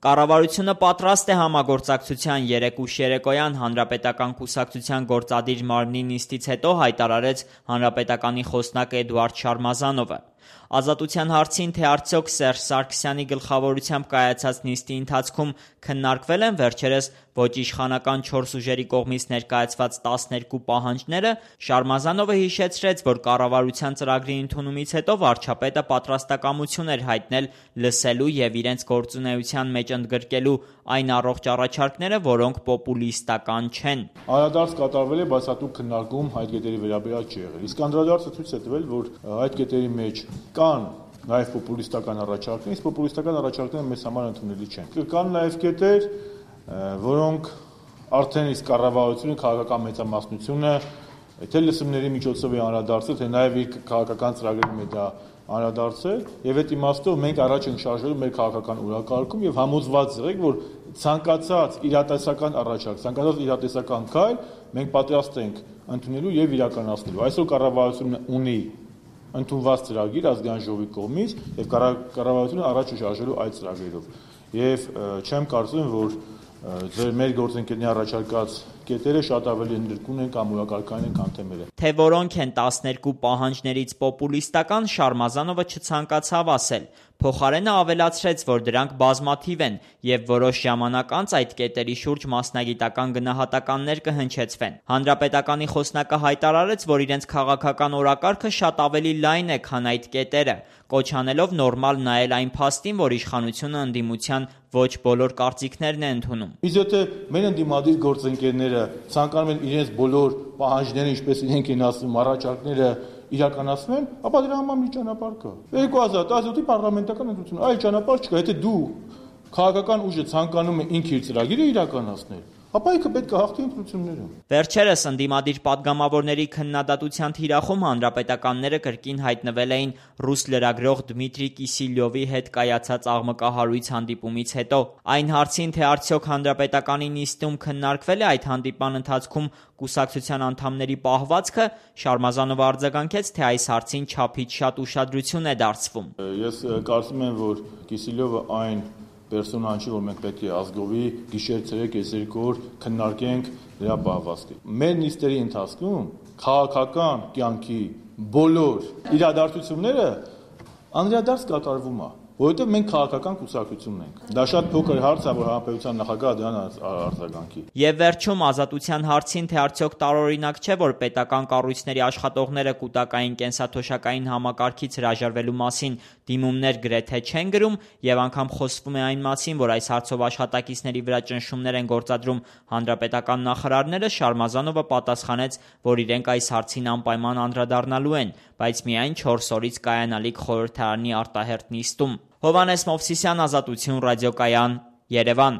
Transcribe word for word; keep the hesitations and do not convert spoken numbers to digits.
Կառավարությունը պատրաստ է համագործակցության երեկ ուշ երեկոյան Հանրապետական կուսակցության գործադիր մարմնի նիստից հետո հայտարարեց Հանրապետականի խոսնակ Էդուարդ Շարմազանովը։ Ազատության հարցին, թե արդյոք Սերժ Սարգսյանի գլխավորությամբ կայացած նիստի ընթացքում քննարկվել են վերջերս ոչ իշխանական չորս ուժերի կողմից ներկայացված տասներկու պահանջները, Շարմազանովը հիշեցրեց, որ կառավարության ծրագրի ընդունումից հետո վարչապետը պատրաստակամություն էր հայտնել լսելու եւ իրենց գործունեության մեջ ընդգրկելու այն առողջ առաջարկները, որոնք պոպուլիստական չեն։ Անդրադարձ կատարվել է, բայց հատուկ քննարկում այդ կետերի վերաբերյալ չի եղել։ Իսկ անդրադարձը ցույց է տվել, որ այդ կետերի մեջ կան նաև պոպուլիստական առաջարկներ, իսկ պոպուլիստական առաջարկները մեզ համար ընդունելի չեն։ Կան նաև կետեր, որոնք արդեն իսկ կառավարությունը, քաղաքական մեծամասնությունը թե լսումների միջոցով է անդրադարձել, թե նաև իր քաղաքական ծրագրերի մեջ դա անդրադարձել, եւ այդ իմաստով մենք առաջ ենք շարժվելու մեր քաղաքական օրակարգում եւ համոզված եղեք, որ ցանկացած իրատեսական առաջարկ, ցանկացած իրատեսական քայլ մենք պատրաստ ենք ընդունելու եւ իրականացնելու։ Այսօր կառավարությունը ունի ընդունված ծրագիր ազգային ժողովի կողմից եւ կառավարությունը առաջ է շարժվելու այդ ծրագրերով։ Եվ չեմ կարծում, որ ձեր մեր գործընկերների առաջարկած կետերը շատ ավելի ընդգրկուն են կամ օրակարգային են, քան թե մերը։ Թե որոնք են տասներկու պահանջներից պոպուլիստական, Շարմազանովը չցանկացավ ասել։ Փոխարենը ավելացրեց, որ դրանք բազմաթիվ են եւ որոշ ժամանակ անց այդ կետերի շուրջ մասնագիտական գնահատականներ կհնչեցվեն։ Հանրապետականի խոսնակը հայտարարեց, որ իրենց քաղաքական օրակարգը շատ ավելի լայն է, քան այդ կետերը, կոչ անելով նորմալ նայել այն փաստին, որ իշխանությունը ընդդիմության ոչ բոլոր կարծիքներն է ընդունում։ Իսկ եթե մեր ընդդիմադիր գործընկերները ցանկանում են իրենց բոլոր պահանջները, ինչպես իրենք են ասում, առաջարկները իրականացնեն, ապա դրա համար մի ճանապարհ կա։ երկու հազար տասնյոթի պարլամենտական ընտրություն, այլ ճանապարհ չկա, եթե դու քաղաքական ուժը ցանկանում է ինքը իր ծրագիրը իրականացնել, ապա ինքը պետք է հաղթի ընտրություններում։ Վերջերս ընդդիմադիր падգամավորների քննադատության թիրախում հանրապետականները կրկին հայտնվել էին ռուս լրագրող Դմիտրի Կիսիլյովի հետ կայացած աղմկահարույց հանդիպումից հետո։ Այն հարցին, թե արդյոք հանրապետականի նիստում քննարկվել է այդ հանդիպման ընթացքում կուսակցության անդամների պահվածքը, Շարմազանովը արձագանքեց, թե այս հարցին չափից շատ ուշադրություն է դարձվում։ Ես կարծում եմ, որ Կիսիլյովը այն պերսոնան չի, որ մենք պետք է ազգովի գիշեր ցերեկ այս երկու օր քննարկենք դրա պահվածքը։ Մեր նիստերի ընթացքում քաղաքական կյանքի բոլոր իրադարձությունները անդրադարձ կատարվում է, որովհետև մենք քաղաքական կուսակցություն ենք։ Դա շատ փոքր հարց է, որ հանրապետության նախագահը դրան արձագանքի։ Եվ վերջում ազատության հարցին, թե արդյոք տարօրինակ չէ, որ պետական կառույցների աշխատողները կուտակային կենսաթոշակային համակարգից հրաժարվելու մասին դիմումներ գրեթե չեն գրում, եւ անգամ խոսվում է այն մասին, որ այս հարցով աշխատակիցների վրա ճնշումներ են գործադրում հանրապետական նախարարները, Շարմազանովը պատասխանեց, որ իրենք այս հարցին անպայման անդրադառնալու են, բայց միայն չորս օրից կայանալիք խորհրդարանի արտահերթ նիստում։ Հովհաննես Մովսիսյան, Ազատություն ռադիոկայան, Երևան։